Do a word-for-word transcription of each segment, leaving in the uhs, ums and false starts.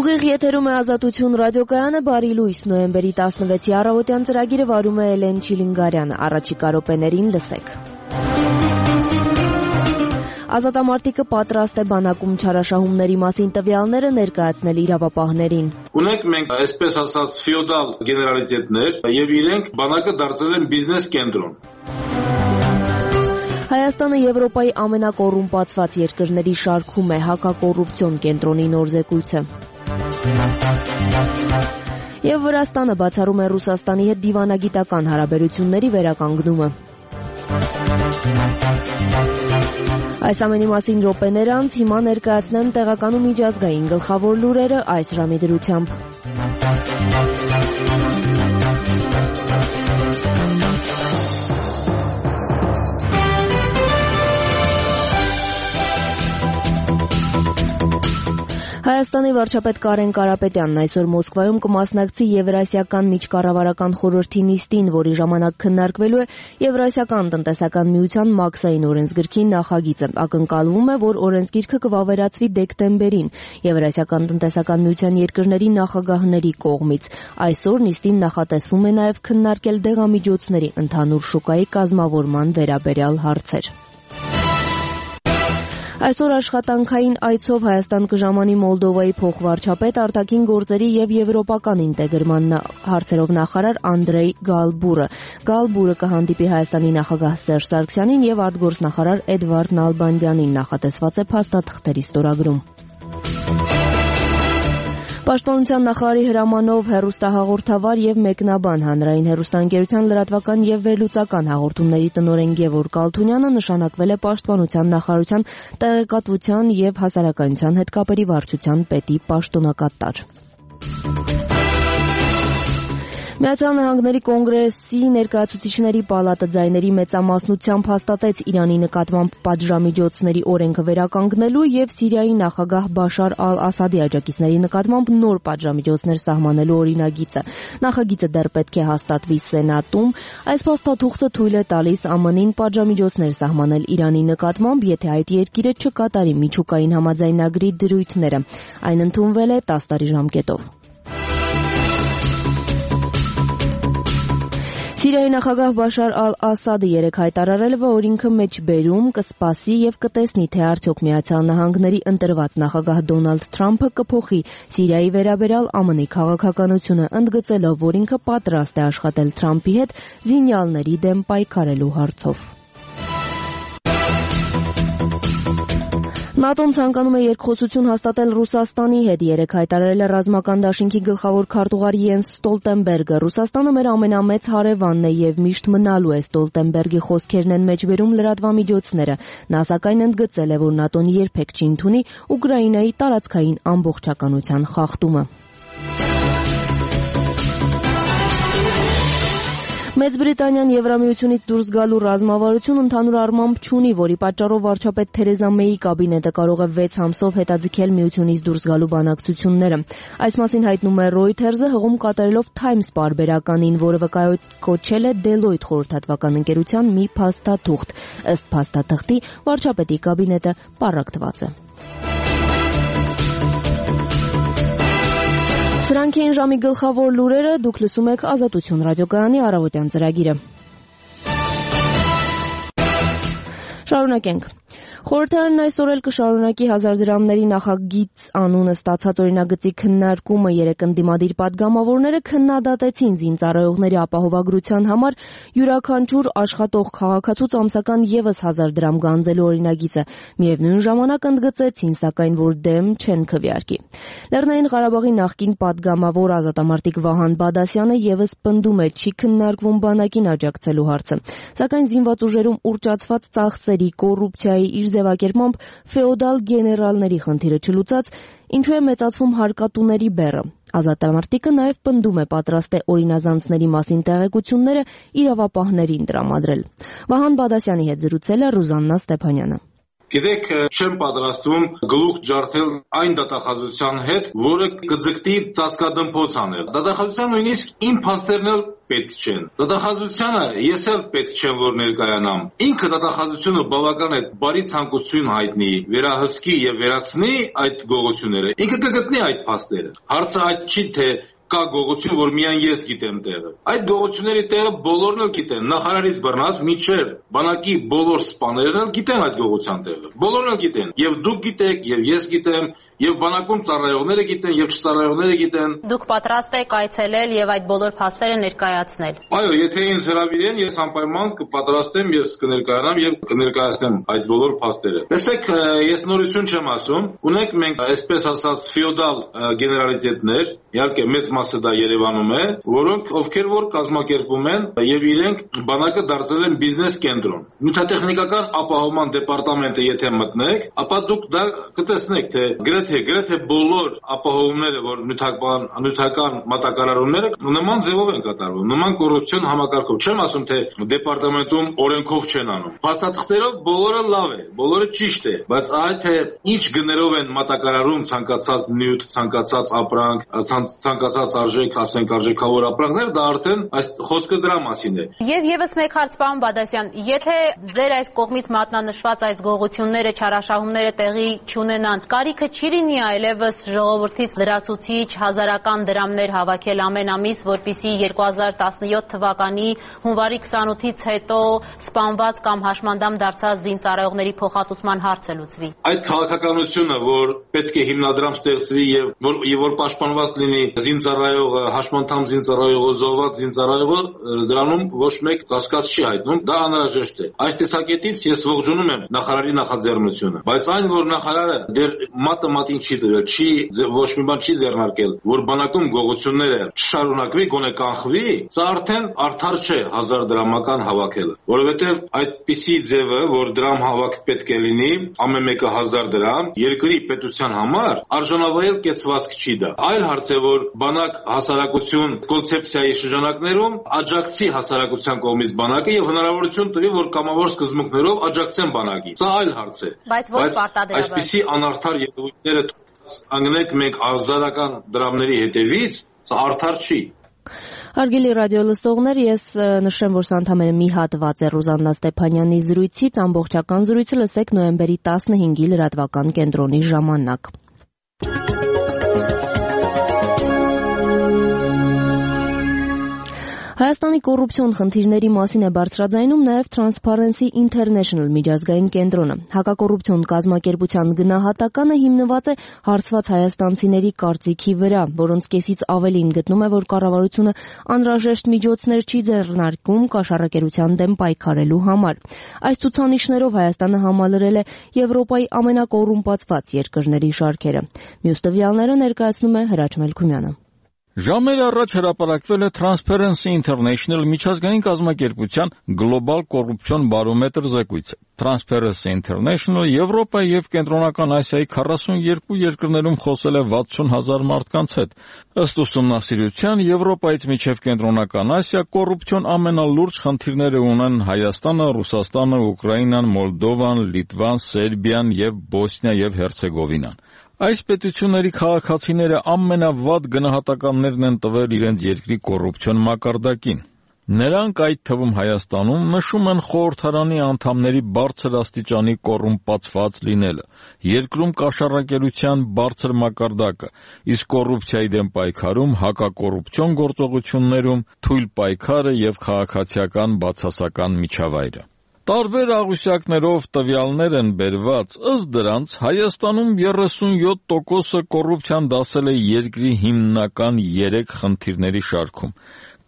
Ուղիղ եթերում է Ազատություն ռադիոկայանը, բարի լույս, նոյեմբերի տասնվեցի առավոտյան ծրագիրը վարում է Էլեն Չիլինգարյանը, առաջիկա րոպեներին լսեք։ Ազատամարտիկը պատրաստ է բանակում չարաշահումների մասին տվյալները ներկայացնել իրավապահներին։ Ունենք մենք այսպես ասած ֆեոդալ գեներալիտետներ եւ իրենք բանակը դարձել են բիզնես կենտրոն։ Հայաստանը Եվրոպայի ամենակոռումպացված երկրների շարքում է, հակակոռուպցիոն կենտրոնի նոր զեկույցը։ Եվ Վրաստանը բացառում է Ռուսաստանի հետ դիվանագիտական հարաբերությունների վերականգնումը։ Այս ամենի մասին րոպեներ անց հիմա ներկայացնեմ տեղական ու միջազգային գլխավոր լուրերը այս ժամի դրությամբ։ Հայաստանի վարչապետ Կարեն Կարապետյանն այսօր Մոսկվայում կմասնակցի Եվրասիական միջկառավարական խորհրդի նիստին, որի ժամանակ քննարկվելու է Եվրասիական տնտեսական միության մաքսային օրենսգրքի նախագիծը։ Ակնկալվում է, որ օրենսգիրքը կվավերացվի դեկտեմբերին Եվրասիական տնտեսական միության երկրների նախագահների կողմից։ Այսօր նիստին նախատեսվում է նաև քննարկել դեղամիջոցների ընդհանուր շուկայի կազմավորման վերաբերյալ հարցեր։ Այսօր աշխատանքային այցով Հայաստան կժամանի Մոլդովայի փոխվարչապետ, արտաքին գործերի եւ եվրոպական ինտեգրման հարցերով նախարար Անդրեյ Գալբուրը։ Գալբուրը կհանդիպի Հայաստանի նախագահ Սերժ Սարգսյանին եւ արտգործնախարար Էդվարդ Նալբանդյանին, նախատեսված է փաստաթղթերի ստորագրում։ Պաշտպանության նախարարի հրամանով հեռուստահաղորդավար եւ մեկնաբան Հանրային հեռուստաընկերության լրատվական եւ վերլուծական հաղորդումների տնօրեն Գևորգ Ալթունյանը նշանակվել է Պաշտպանության նախարարության տեղեկատվության եւ հասարակայնության հետ կապերի վարչության պետի պաշտոնակատար։ Միացյալ Նահանգների կոնգրեսի ներկայացուցիչների պալատը ձայների մեծամասնությամբ հաստատեց Իրանի նկատմամբ պատժամիջոցների օրենքը վերականգնելու եւ Սիրիայի նախագահ Բաշար ալ-Ասադի աջակիցների նկատմամբ նոր պատժամիջոցներ սահմանելու օրինագիծը։ Նախագիծը դեռ պետք է հաստատվի Սենատում։ Այս փաստաթուղթը թույլ է տալիս ԱՄՆ-ին պատժամիջոցներ սահմանել Իրանի նկատմամբ, եթե այդ երկիրը չկատարի միջուկային համաձայնագրի դրույթները։ Այն ընդունվել է տասը տարի ժամկետով։ Սիրիայի նախագահ Բաշար ալ-Ասադը երեկ հայտարարել է, որ ինքը մեջբերում կսպասի եւ կտեսնի, թե արդյոք Միացյալ Նահանգների ընտրված նախագահ Դոնալդ Թրամփը կփոխի Սիրիայի վերաբերյալ ԱՄՆ-ի քաղաքականությունը, ընդգծելով, որ ինքը պատրաստ է աշխատել Թրամփի հետ զինյալների դեմ պայքարելու հարցով։ ՆԱՏՕ-ն ցանկանում է երկխոսություն հաստատել Ռուսաստանի հետ, երեկ հայտարարել է ռազմական դաշինքի գլխավոր քարտուղար Յենս Ստոլտենբերգը։ Ռուսաստանը մեր ամենամեծ հարևանն է եւ միշտ մնալու է, Ստոլտենբերգի խոսքերն են մեջբերում լրատվամիջոցները։ Նա սակայն ընդգծել է, որ ՆԱՏՕ-ն երբեք չի ընդունի Ուկրաինայի տարածքային ամբողջականության խախտումը։ Մեծ Բրիտանիան Եվրամիությունից դուրս գալու ռազմավարություն ընդհանուր առմամբ չունի, որի պատճառով վարչապետ Թերեզա Մեյի կաբինետը կարող է վեց ամսով հետաձգել միությունից դուրս գալու բանակցությունները։ Այս մասին հայտնում է Reuters-ը, հղում կատարելով Times պարբերականին, որը վկայակոչել է Deloitte խորհրդատվական ընկերության մի փաստաթուղթ։ Ըստ փաստաթղթի, վարչապետի կաբինետը պառակտված է։ Սրանք էին ժամի գլխավոր լուրերը, դուք լսում եք Ազատություն ռադիոկայանի առավոտյան ծրագիրը։ Շարունակենք։ Խորհրդարանն այսօր էլ կշարունակի հազար դրամների նախագիծ անունը ստացած օրինագծի քննարկումը։ Երեկ ընդդիմադիր պատգամավորները քննադատեցին զինծառայողների ապահովագրության համար յուրաքանչյուր աշխատող քաղաքացուց ամսական ևս հազար դրամ գանձելու օրինագիծը։ Միևնույն ժամանակ ընդգծեցին, սակայն, որ դեմ չեն քվեարկի։ Լեռնային Ղարաբաղի նախկին պատգամավոր ազատամարտիկ Վահան Բադասյանը ևս պնդում է, չի քննարկվում բանակին աջակցելու հարցը։ Սակայն զինված ուժերում ուռճացված ծախսերի, կոռուպցիայի, իր ձևակերպմամբ ֆեոդալ գեներալների խնդիրը չլուծած, ինչու է մեծացվում հարկատուների բեռը։ Ազատամարտիկը նաև պնդում է, պատրաստ է օրինազանցների մասին տեղեկությունները իրավապահներին տրամադրել։ Վահան Բադասյանի հետ զրուցել է Ռուզաննա Ստեփանյանը։ Գիտեք, չեմ պատրաստվում գլուխ ջարդել այն դատախազության հետ, որը կձգտի ծածկադմփոց անել։ Դատախազության նույնիսկ իմ փաստերն էլ պետք չեն։ Դատախազությանը ես էլ պետք չեմ, որ ներկայանամ։ Ինքը դատախազությունը բավական է բարի ցանկություն հայտնի, վերահսկի եւ վերացնի այդ գողությունները։ Ինքը կգտնի այդ փաստերը։ Հարցը այդ չի, թե կա գողություն, որ միայն ես գիտեմ տեղը։ Այդ գողությունների տեղը բոլորն էլ գիտեն, նախարարից բռնած մինչև բանակի բոլոր սպաներն էլ գիտեն այդ գողության տեղը։ Բոլորն էլ գիտեն, եւ դուք գիտեք, եւ ես գիտեմ, եւ բանակում ծառայողները գիտեն, եւ չծառայողները գիտեն։ Դուք պատրաստ եք այցելել եւ այդ բոլոր փաստերը ներկայացնել։ Այո, եթե ինձ հրավիրեն, ես անպայման կպատրաստեմ, ես կներկայանամ եւ կներկայացնեմ այդ բոլոր փաստերը։ Տեսեք, ես նորություն չեմ ասում, ունենք մենք այսպես ասած ֆեոդալ գեներալիտետներ, իհարկե մեծ մասը դա Երևանում է, որոնք ովքեր որ կազմակերպում են եւ իրենք բանակը դարձել են բիզնես կենտրոն։ Նյութատեխնիկական ապահովման դեպարտամենտը եթե մտնեք, ապա դուք դա կտեսնեք, թե գրեթե գրեթե բոլոր ապահովումները, որ նյութական նյութական մատակարարումները նման ձևով են կատարվում, նման կոռուպցիոն համակարգով։ Չեմ ասում, թե դեպարտամենտում օրենքով չեն անում։ Փաստաթղթերով բոլորը լավ է, բոլորը ճիշտ է, բայց այդ թե ինչ գներով են մատակարարում ցանկացած նյութ, ցանկացած ապրանք, ցանկացած արժեք, ասենք արժեքավոր ապրանքներ, դա արդեն այս խոսքը դրա մասին է։ Եվ եւս մեկ հարց, պարոն Բադասյան, եթե ձեր այս կողմից մատնանշված այս գողությունները, չարաշահումները տեղի չունենան, կարիքը չի լինի այլևս ժողովրդից լրացուցիչ հազարական դրամներ հավաքել ամեն ամիս, որպեսզի երկու հազար տասնյոթ թվականի հունվարի քսանութից հետո սպանված կամ հաշմանդամ դարձած զինծառայողների փոխհատուցման հարցը լուծվի։ Այդ քաղաքականությունը, որ պետք է հիմնադրամ ստեղծվի եւ որ եւ որ պաշտպանված լինի զինծառայողը, հաշմանդամ զինծառայողը, զոհված զինծառայողը, դրանում ոչ մեկ կասկած չի հայտնում, դա անհրաժեշտ է։ Այս տեսակետից ես ողջունում եմ նախարարի նախաձեռնությունը, բայց այն, որ նախարարը դեռ մատը մատին չի դրել, չի ոչ մի բան չի ձեռնարկել, որ բանակում գողությունները չշարունակվի, գոնե կանխվի, սա արդեն արդար չէ հազար դրամական հավաքելը, որովհետև այդպիսի ձևը, որ դրամ հավաք պետք է լինի, ամեն մեկը հազար դրամ, երկրի պետության համար արժանավայել կեցվածք չի դա։ Այլ հարց է, որ բանակ հասարակություն կոնցեպցիայի շրջանակներում աջակցի հասարակության կողմից բանակը եւ հնարավորություն տվի, որ կամավոր սկզբունքներով աջակցեն բանակին։ Սա այլ հարց է։ Բայց ոչ պարտադրաբար։ Այսպիսի անարդար ելույթները անգնենք մենք հազարական դրամների հետևից, սա արդար չի։ Հարգելի ռադիոլսողներ, ես նշեմ, որ սա ընդամենը մի հատված է Ռուզաննա Ստեփանյանի զրույցից, ամբողջական զրույցը լսեք նոյեմբերի տասնհինգի լրատվական կենտրոնի ժամանակ։ Հայաստանի կոռուպցիոն խնդիրների մասին է բարձրաձայնում նաև Transparency International միջազգային կենտրոնը։ Հակակոռուպցիոն կազմակերպության գնահատականը հիմնված է հարցված հայաստանցիների կարծիքի վրա, որոնց կեսից ավելին գտնում է, որ կառավարությունը անհրաժեշտ միջոցներ չի ձեռնարկում կաշառակերության դեմ պայքարելու համար։ Այս ցուցանիշներով Հայաստանը համալրել է Եվրոպայի ամենակոռումպացված երկրների շարքերը։ Մյուս տվյալները ներկայացնում է Հրաչ Մելքումյանը։ Ժամեր առաջ հրապարակվել է Transparency International միջազգային կազմակերպության գլոբալ կոռուպցիոն բարոմետր զեկույցը։ Transparency International Եվրոպայի եւ Կենտրոնական Ասիայի քառասունյոթ երկրներում խոսել է վաթսուն հազար մարդկանց հետ։ Ըստ ուսումնասիրության, Եվրոպայից մինչև Կենտրոնական Ասիա կոռուպցիոն ամենալուրջ խնդիրները ունեն Հայաստանը, Ռուսաստանը, Ուկրաինան, Մոլդովան, Լիտվան, Սերբիան եւ Բոսնիա եւ Հերցեգովինան։ Այս պետությունների քաղաքացիները ամենավատ գնահատականներն են տվել իրենց երկրի կոռուպցիոն մակարդակին։ Նրանք, այդ թվում Հայաստանում, նշում են խորհրդարանի անդամների բարձր աստիճանի կոռումպացված լինելը, երկրում կաշառակերության բարձր մակարդակը, իսկ կոռուպցիայի դեմ պայքարում, հակակոռուպցիոն գործողություններում թույլ պայքարը եւ քաղաքացիական բացասական միջավայրը։ Տարբեր աղյուսակներով տվյալներ են բերված, ըստ դրանց Հայաստանում երեսունյոթ տոկոսը կոռուպցիան դասել է երկրի հիմնական երեք խնդիրների շարքում,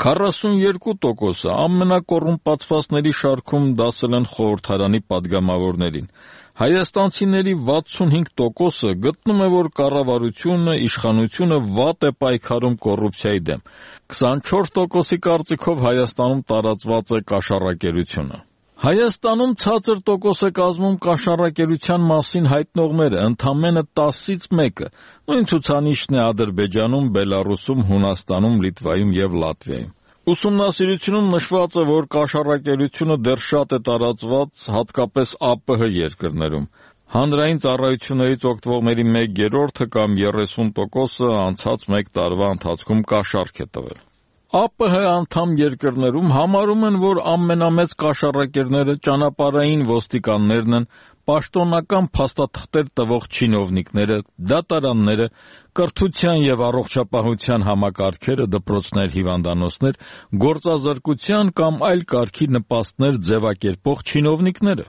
քառասունյոթ տոկոսը ամենակոռումպացվածների շարքում դասել են խորհրդարանի падգամավորներին։ Հայաստանցիների վաթսունհինգ տոկոսը գտնում է, որ կառավարությունը, իշխանությունը վատ է պայքարում կոռուպցիայի դեմ։ քսանչորս տոկոսի կարծիքով Հայաստանում տարածված է կաշառակերությունը։ Հայաստանում ցածր տոկոս է կազմում կաշառակերության մասին հայտնողները, ընդամենը տասից մեկը։ Նույն ցուցանիշն է Ադրբեջանում, Բելառուսում, Հունաստանում, Լիտվայում եւ Լատվիայում։ Ուսումնասիրությունում նշված է, որ կաշառակերությունը դեռ շատ է տարածված, հատկապես ԱՊՀ երկրներում։ Հանրային ծառայություններից օգտվողների մեկ երրորդը կամ երեսուն տոկոսը անցած մեկ տարվա ընթացքում կաշառք է տվել։ ԱՊՀ անդամ երկրներում համարում են, որ ամենամեծ կաշառակերները ճանապարհային ոստիկաններն են, պաշտոնական փաստաթղթեր տվող չինովնիկները, դատարանները, կրթության եւ առողջապահության համակարգերը, դպրոցներ, հիվանդանոցներ, գործազրկության կամ այլ կարգի նպաստներ ձևակերպող չինովնիկները։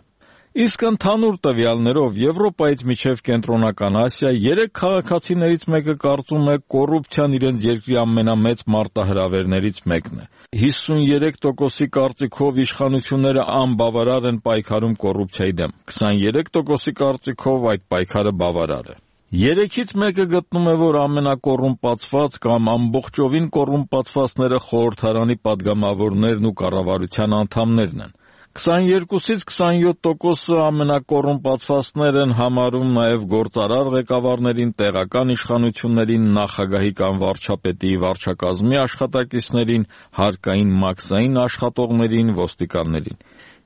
Իսկ ընդհանուր տվյալներով Եվրոպայից մինչև Կենտրոնական Ասիա երեք քաղաքացիներից մեկը կարծում է կոռուպցիան իրենց երկրի ամենամեծ մարտահրավերներից մեկն է։ հիսունյերեք տոկոսի կարծիքով իշխանությունները անբավարար են պայքարում կոռուպցիայի դեմ, քսաներեք տոկոսի կարծիքով այդ պայքարը բավարար է։ Երեքից մեկը գտնում է, որ ամենակոռումպացված կամ ամբողջովին կոռումպացվածները խորհրդարանի падգամավորներն ու կառավարության անդամներն են։ քսաներկուսից քսանյոթ տոկոսը ամենակոռումպացվածներ են համարում նաև գործարար ղեկավարներին, տեղական իշխանություններին, նախագահի կամ վարչապետի վարչակազմի աշխատակիցներին, հարկային մաքսային աշխատողներին, ոստիկաններին։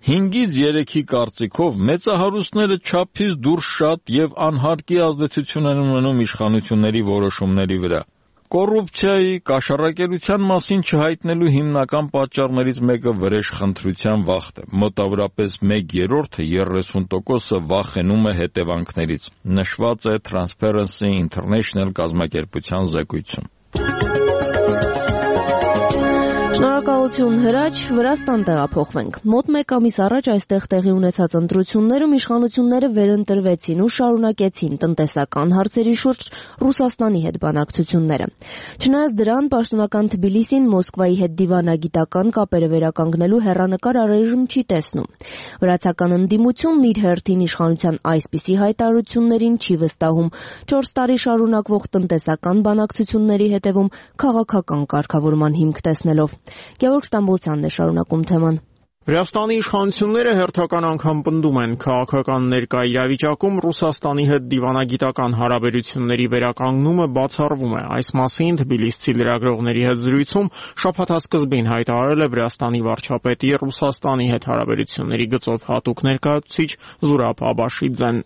հինգից երեքի կարծիքով մեծահարուստները չափից դուրս շատ եւ անհարկի ազդեցություն են ունենում իշխանությունների որոշումների վրա։ Կոռուպցիայի, կաշառակերության մասին չհայտնելու հիմնական պատճառներից մեկը վրեժխնդրության վախն է։ Մոտավորապես մեկ երրորդը երեսուն տոկոսը վախենում է հետևանքներից, նշված է Transparency International կազմակերպության զեկույցում։ Շնորհակալություն Հրաչ, Վրաստան տեղափոխվենք։ Մոտ մեկ ամիս առաջ այստեղ տեղի ունեցած ընտրություններում իշխանությունները վերընտրվեցին ու շարունակեցին տնտեսական հարցերի շուրջ Ռուսաստանի հետ բանակցությունները։ Չնայած դրան, պաշտոնական Թբիլիսին Մոսկվայի հետ դիվանագիտական կապերը վերականգնելու հեռանկար առայժմ չի տեսնում։ Վրացական ընդդիմությունն իր հերթին իշխանության այսպիսի հայտարարություններին չի վստահում, չորս տարի շարունակվող տնտեսական բանակցությունների հետևում քաղաքական կարգավորման հիմք տեսնելով։ Գևորգ Ստամբոլցյանն է շարունակում թեման։ Վրաստանի իշխանությունները հերթական անգամ պնդում են քաղաքական ներկա իրավիճակում Ռուսաստանի հետ դիվանագիտական հարաբերությունների վերականգնումը բացառվում է։ Այս մասին Թբիլիսցի լրագրողների հետ զրույցում շաբաթասկզբին հայտարարել է Վրաստանի վարչապետի Ռուսաստանի հետ հարաբերությունների գծով հատուկ ներկայացուցիչ Զուրաբ Աբաշիձեն։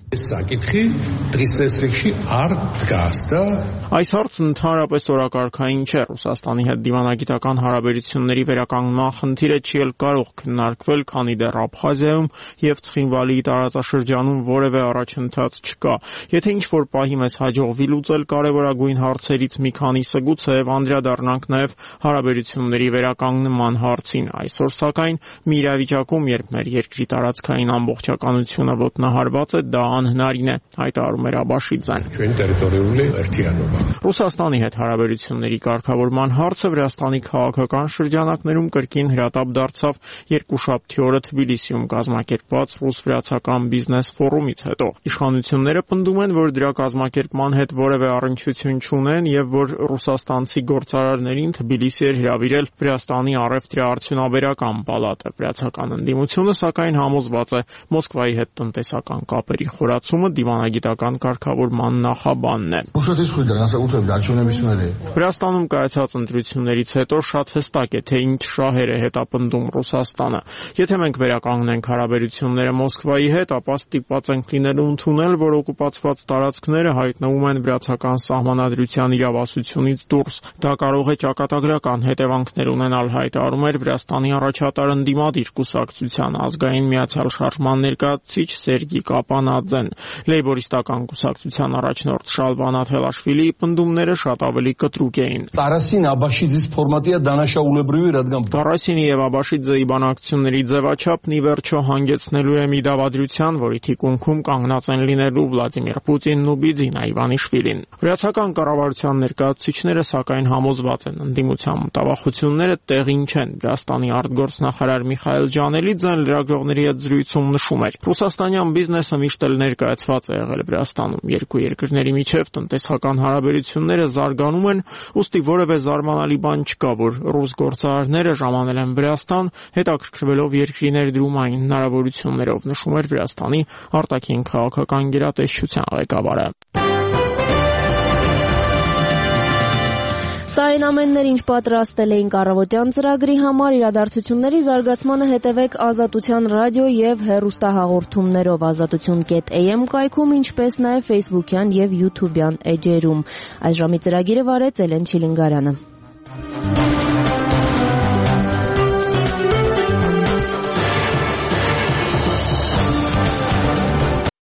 Այս հարցն ընդհանրապես օրակարգային չէ։ Ռուսաստանի հետ դիվանագիտական հարաբերությունների վերականգնման խնդիրը չի էլ կարող քննարկվել, քանի դեռ Աբխազիայում եւ Ցխինվալիի տարածաշրջանում որևէ առաջընթաց չկա։ Եթե ինչ-որ պահի մեզ հաջողվի լուծել կարևորագույն հարցերից մի քանիսը, գուցեև անդրադառնանք նաեւ հարաբերությունների վերականգնման հարցին։ Այսօր սակայն մի իրավիճակում, երբ մեր երկրի տարածքային ամբողջականությունը ոտնահարված է, դա անհնարին է, հայտարարում էր Աբաշիձեն։ Ռուսաստանի հետ հարաբերությունների կարգավորման հարցը Վրաստանի քաղաքական շրջանակներում կրկին հրատապ դարձավ երկուշաբթի օրը Թբիլիսիում կազմակերպված ռուս-վրացական բիզնես ֆորումից հետո։ Իշխանությունները պնդում են, որ դրա կազմակերպման հետ որևէ առնչություն չունեն եւ որ ռուսաստանցի գործարարներին Թբիլիսի էր հրավիրել Վրաստանի առևտրաարդյունաբերական պալատը։ Վրացական ընդդիմությունը սակայն համոզված է Մոսկվայի հետ տնտեսական կապերի խորացումը դիվանագիտական կարգավորման նախաբանն է։ Վրաստանում կայացած ընտրություններից հետո շատ հստակ է, թե ինչ շահեր է հետապնդում Ռուսաստանը։ Եթե մենք վերականգնենք հարաբերությունները Մոսկվայի հետ, ապա ստիպված ենք լինելու ընդունել, որ օկուպացված տարածքները հայտնվում են վրացական սահմանադրության իրավասությունից դուրս։ Դա կարող է ճակատագրական հետևանքներ ունենալ, հայտարարում էր Վրաստանի առաջատար ընդդիմադիր կուսակցության ազգային միացյալ շարժման ներկայացուցիչ Սերգի Կապանաձեն։ Լեյբորիստական կուսակցության առաջնորդ Շալվան Աթելաշվիլիի պնդումները շատ ավելի կտրուկ էին։ Տարասին Աբաշիձის ֆորմատია դանაშաուլեբրիվի ռադգամ։ Տարասինի եւ Աբաշիձեի բանակցությունների ձևաչափն ի վերջո հանգեցնելու է մի դավադրության, որի թիկունքում կանգնած են լինելու Վլադիմիր Պուտինն ու Բիձինա Իվանիշվիլին։ Վրացական կառավարության ներկայացուցիչները սակայն համոզված են, ընդդիմության մտավախությունները տեղին չեն։ Վրաստանի արտգործնախարար Միխայել Ջանելիձեն լրագրողների հետ զրույցում նշում էր. Ռուսաստանյան բիզնեսը միշտ էլ ներկայացված է եղել Վրաստանում։ Երկու երկրների միջև տնտեսական հարաբերությունները զարգանում են, ուստի որևէ զարմանալի բան չկա, որ ռուս գործարարները ժամանել են Վրաստան, հետաքրքրվելով երկրի ներդրումային հնարավորություններով, նշում էր Վրաստանի արտաքին քաղաքական գերատեսչության ղեկավարը։ Սա այն ամեններ, ինչ պատրաստել էինք առավոտյան ծրագրի համար, իրադարձությունների զարգացմանը հետևեք Ազատության ռադիո եւ հեռուստահաղորդումներով ազատություն կետ էյ էմ կայքում, ինչպես նաեւ Facebook-յան եւ YouTube-յան էջերում։ Այս ժամի ծրագիրը վարեց Էլեն Չիլինգարյանը։